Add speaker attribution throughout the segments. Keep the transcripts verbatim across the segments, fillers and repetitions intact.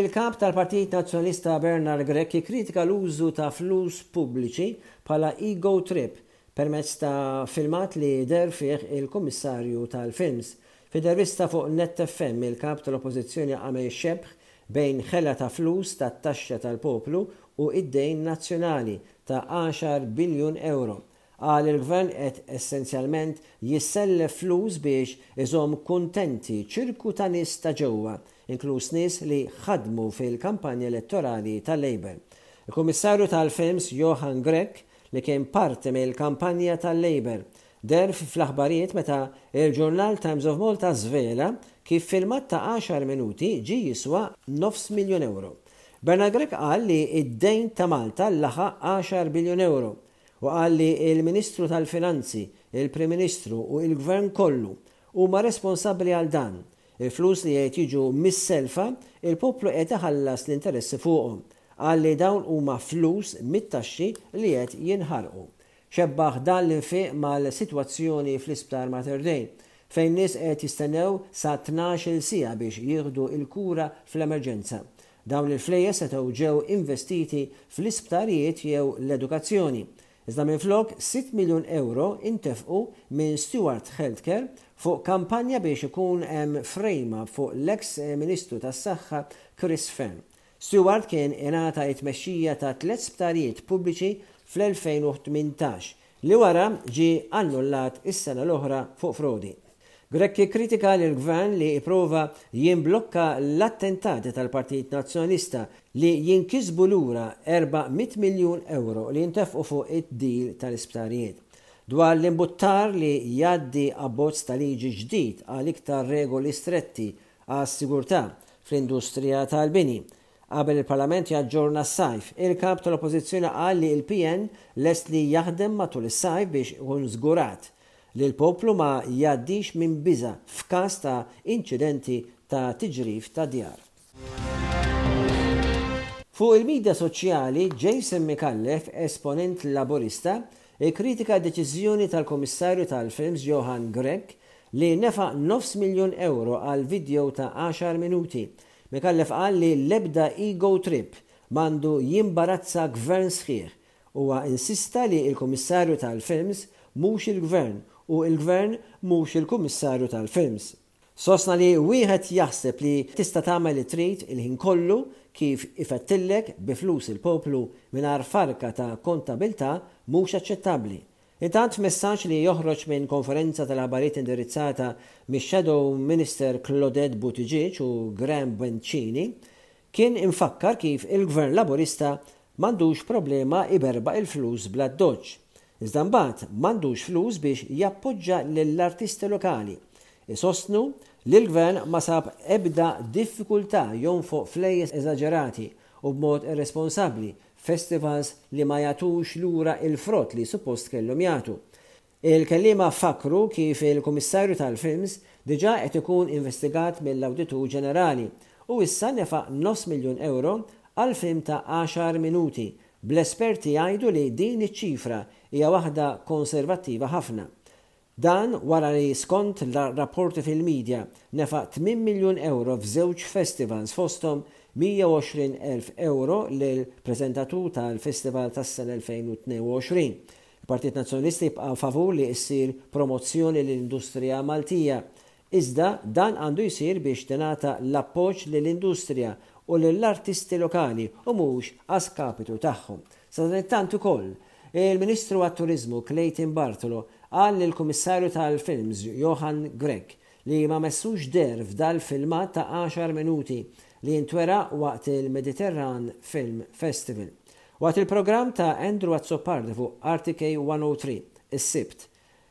Speaker 1: Il-kap tal-Partit Nazzjonalista Bernard Grech kritika l-użu ta' flus pubbliċi bħala ego trip permezz ta' filmat li deher fih il-Kummissarju tal-Films. F'intervista fuq Net F M, il-kap tal-Oppożizzjoni għamel xebħ bejn ħela ta' flus tat-taxxa tal-poplu u id-dejn nazzjonali ta' għaxar biljun euro. Qal il-gvern qed essenzjalment jissellef flus biex iżomm kuntenti ċirku ta' nies ta' ġewwa, inkluż nies li ħadmu fil-kampanja elettorali tal-Labour. Il-Kummissarju tal-Films Johann Grech, li kien parti mill-kampanja tal-Labour, deher fl-aħbarijiet meta il-ġurnal Times of Malta żvela kif filmat ta' għaxar minuti ġi jiswa nofs miljon euro. Bernard Grech qal li id-dejn ta' Malta laħaq għaxar biljun euro u qal li il-Ministru tal-Finanzi, il-Prim Ministru u il-Gvern kollu huma responsabbli għal dan. Il-flus li qed jiġu mis-selfa, il-poplu qed iħallas l-interessi fuqhom. Qal li dawn huma flus mit-taxxi li qed jinħarqu. Xebbaħ dan l-infiq mal-sitwazzjoni fl-Isptar Mater Dei, fejn nies qed jistennew sa tnax-il siegħa biex jieħdu il-kura fl-emerġenza. Dawn il-flejjes setgħu ġew investiti fl-isptarijiet jew l-edukazzjoni. Iżda minflok, sitt miljun euro intefqu minn Steward Healthcare fuq kampanja biex ikun hemm frame fuq l-eks Ministru tas-Saħħa Chris Fearne. Steward kien ingħata it-tmexxija ta' tliet sptarijiet pubbliċi fl-elfejn u tmintax li wara ġi annullat is-sena l-oħra fuq frodi. Grech kritika l-gvern li iprova jimblokka l-attentati tal-Partit Nazzjonalista li jinkisbu lura erba' mitt miljun euro li jintefqu fuq id-deal tal-isptarijiet. Dwar l-imbuttar li jgħaddi abbozz ta' liġi ġdid għal iktar regoli stretti għas-sigurtà fl-industrija tal-bini qabel il-Parlament jaġġorna s-sajf, il-kap tal-Oppożizzjoni qal li il-P N lest li jaħdem matul is-sajf biex ikun żgurat li l-poplu ma jgħaddix minn biża f'każ ta' inċidenti ta' tiġrif ta' djar. Fuq il-medja soċjali, Jason Micallef, esponent laburista, ikkritika deċiżjoni tal-Komissarju tal-Films Johann Grech li nefa nofs miljon euro għal video ta' għaxar minuti. Micallef qal li l-ebda ego trip m'għandu jimbarazza gvern sħiħ. Huwa insista li il-Komissarju tal-Films mhux il-gvern u il-gvern mhux il-Kummissarju tal-Films. Sosna li wieħed jaħseb li tista' tagħmel li trid il-ħin kollu kif ifettillek bi flus il-poplu mingħajr farka ta' kontabilità mhux aċċettabbli. Intant, messaġġ li joħroġ minn konferenza tal-aħbarijiet indirizzata mix-Shadow Minister Claudette Buttigieg u Graham Bencini kien infakkar kif il-Gvern Laburista m'għandux problema iberbaq il-flus bl-addoċċ. Iżda mbagħad m'għandux flus biex jappoġġa lill-artisti lokali. Isostnu li l-gvern ma sab ebda diffikultà jonfoq flejjes eżaġerati u b'mod irresponsabbli festivals li ma jagħtux lura il-frott li suppost kellhom jagħtu. Il-kellima fakru kif il-Kummissarju tal-Films diġà qed ikun investigat mill-Awditur Ġenerali u issa nefaq nofs miljun euro għal film ta' għaxar minuti, bl-esperti jgħidu li din iċ-ċifra hija waħda konservattiva ħafna. Dan wara li, skont rapporti fil-medja, nefaq tmien miljun euro f'żewġ festivals, fosthom mija u għoxrin elf euro lil preżentatur tal-festival tas-sena elfejn u tnejn u għoxrin. Il-Partit Nazzjonalista jibqa' favur li issir promozzjoni l-industrija Maltija. Iżda dan għandu jsir biex tingħata l-appoġġ lill-industrija u lill-artisti lokali u mhux a skapitu tagħhom. Sadanittant ukoll, il-Ministru għat-Turizmu Clayton Bartolo qal lill-Kummissarju tal-Films Johann Grech li ma messux deher f'dal filmat ta' għaxar minuti li jintwera waqt il-Mediterran Film Festival. Waqt il-programm ta' Andrew Azzopardi fuq R T K one oh three is-Sibt,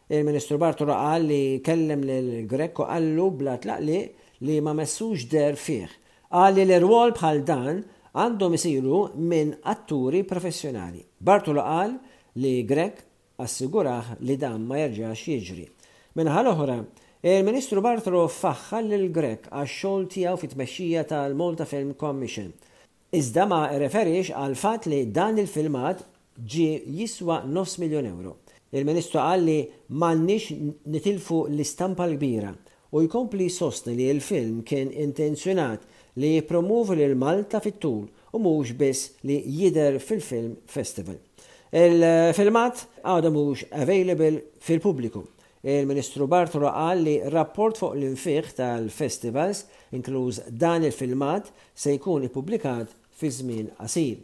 Speaker 1: il-Ministru Bartolo qal li kellem lil Grech u qallu bla tlaqliq li ma messux deher fih. Qal li l-irwol bħal dan għandhom isiru minn atturi professjonali. Bartolo qal li Grech assigurah li dan ma jerġax jiġri. Min-naħa l-oħra, il-Ministru Bartolo faħħar lil Grech għax-xogħol tiegħu fit-tmexxija tal-Malta Film Commission. Iżda ma referix għal fatt li dan il-filmat ġi jiswa nofs miljon euro. Il-Ministru qal li m'għandniex nitilfu l-istampa l-kbira. u jkompli jsostni li l-film kien intenzjonat li jippromovi lil Malta fit-tul u mhux biss li jidher fil-Film Festival. Il-filmat għadu mhux available fil-pubbliku. Il-Ministru Bartolo qal li rapport fuq l-infiq tal-festivals, inkluż dan il-filmat, se jkun ippubblikat fi żmien qasir.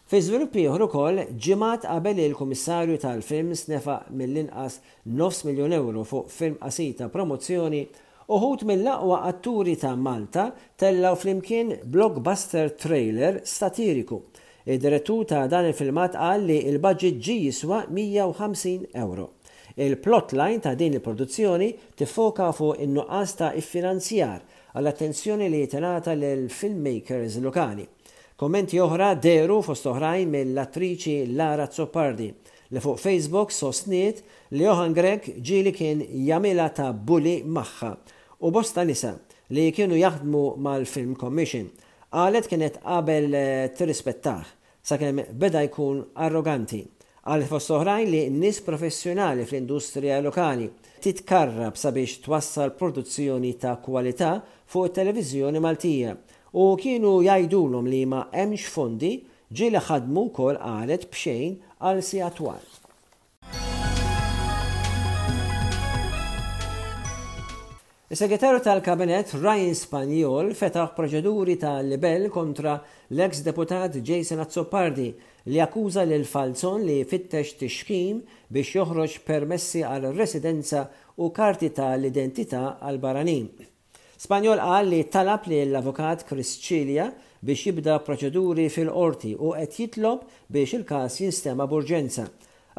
Speaker 1: Fi żvilupp ieħor ukoll, ġimgħat qabel il-Kummissarju tal-Films nefaq mill-inqas nofs miljun euro fuq film qasir ta' promozzjoni, uħud mill-aqwa atturi ta' Malta tellgħu flimkien blockbuster trailer satiriku. Id-direttur ta' dan il-filmat qal li il-budget ġi jiswa mija u ħamsin euro. Il-plotline ta' din il-produzzjoni tiffoka fuq in-nuqqas ta' iffinanzjar għall-attenzjoni li tingħata lil filmmakers lokali. Kommenti oħra dehru fost oħrajn mill-attriċi Lara Azzopardi, li fuq Facebook sostniet li Johann Grech ġieli kien jagħmilha ta' bully magħha u bosta nisa li kienu jaħdmu mal-Film Commission. Qalet kienet qabel tirrispettah sakemm beda jkun arroganti. Qalet fost oħrajn li nies professjonali fl-industrija lokali titkarrab sabiex twassal produzzjoni ta' kwalità fuq it-televiżjoni Maltija u kienu jgħidulhom li ma hemmx fondi, ġieli ħadmu wkoll, qalet, b'xejn għal sigħat twal. Is-segretarju tal-Kabinet Ryan Spagnol fetaħ proċeduri ta' libel kontra l-ex deputat Jason Azzopardi, li akkuża lil Falzon li fittex tixkim biex joħroġ permessi għal residenza u karti tal-identità għal barranin. Spagnol qal li talab li l-avukat Chris Cilia biex jibda proċeduri fil-qorti u qed jitlob biex il-każ jinstema' b'urġenza.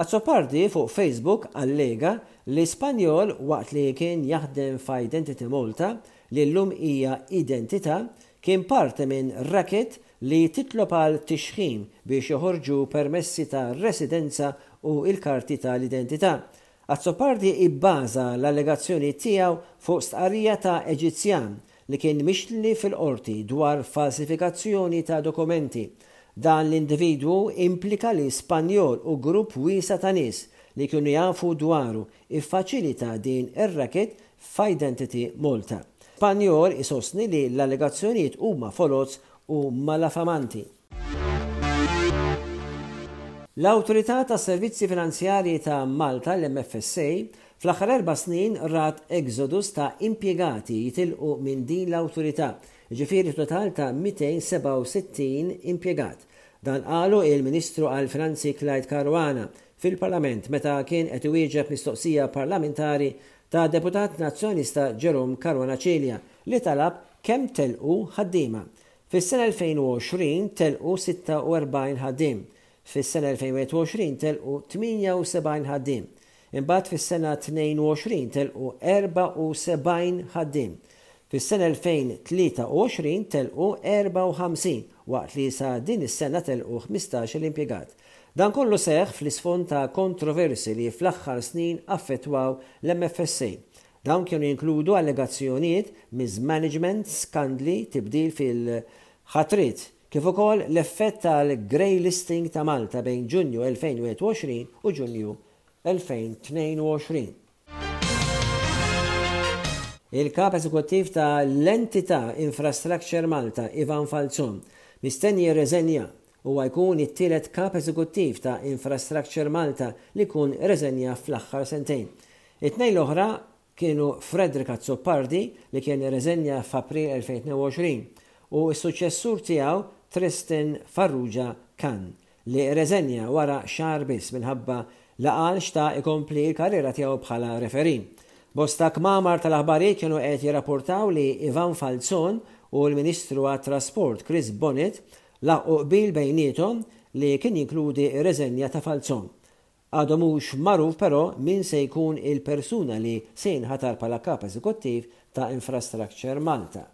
Speaker 1: Azzopardi fuq Facebook allega li Spagnol, waqt li kien jaħdem f'Identity Malta, li llum hija Identità, kien parti minn racket li titlob għal tixħim biex joħorġu permessi ta' residenza u il-karti tal-identità. Azzopardi ibbaża l-allegazzjoni tiegħu fuq stqarrija ta' Eġizzjan li kien mixli fil-qorti dwar falsifikazzjoni ta' dokumenti. Dan l-individwu implika li Spagnol u grupp wiesa' ta' nies li kienu jafu dwaru iffaċilita din ir-racket f'Identity Malta. Spagnol isostni li l-allegazzjonijiet huma foloz u malafamanti. L-Awtorità ta' Servizzi Finanzjarji ta' Malta, l-M F S A, fl-aħħar erba' snin rat exodus ta' impjegati jitilqu minn din l-awtorità, ġifieri total ta' mitejn u sebgħa u sittin impjegat. Dan qalu il-Ministru għal-Finanzi Clyde Caruana fil-Parlament meta kien qed iwieġeb mistoqsija parlamentari ta' deputat nazzjonalista Jerome Caruana Cilia, li talab kemm telqu ħaddiema. Fis-sena elfejn u għoxrin telqu sitta u erbgħin ħaddiem. Fis-sena elfejn u wieħed u għoxrin telqu tmienja u sebgħin ħaddiem. Imbagħad fis-sena tnejn u għoxrin telqu erbgħa u sebgħin ħaddiem. Fis-sena elfejn u tlieta u għoxrin telqu erbgħa u ħamsin, waqt li sa din is-sena telqu ħmistax-il impjegat. Dan kollu seħ fl-isfond ta' kontroversi li fl-aħħar snin affettwaw l-M F S A. Dawn kienu jinkludu allegazzjonijiet, mismanagement, skandli, tibdil fil-ħatrit, kif ukoll l-effett tal-grey listing ta' Malta bejn Ġunju elfejn u wieħed u għoxrin u Ġunju elfejn u tnejn u għoxrin. Il-kap eżekuttiv ta' l-entità Infrastructure Malta, Ivan Falzon, mistenni jirreżenja. Huwa jkun it-tielet kap eżekuttiv ta' Infrastructure Malta li jkun reżenja fl-aħħar sentejn. It-tnejn l-oħra kienu Frederick Azzopardi, li kien reżenja f'April elfejn u tnejn u għoxrin, u s-suċessur tiegħu Tristan Farrugia Cann, li reżenja wara xahar biss minħabba li qal xtaq ikompli l-karriera tiegħu bħala referee. Bosta kmamar tal-aħbarijiet kienu qed jirrapportaw li Ivan Falzon u l-Ministru għat-Trasport Chris Bonett laħqu qbil bejniethom li kien jinkludi reżenja ta' Falzon. Għadu mhux magħruf però min se jkun il-persuna li se jinħatar bħala kap eżekuttiv ta' Infrastructure Malta.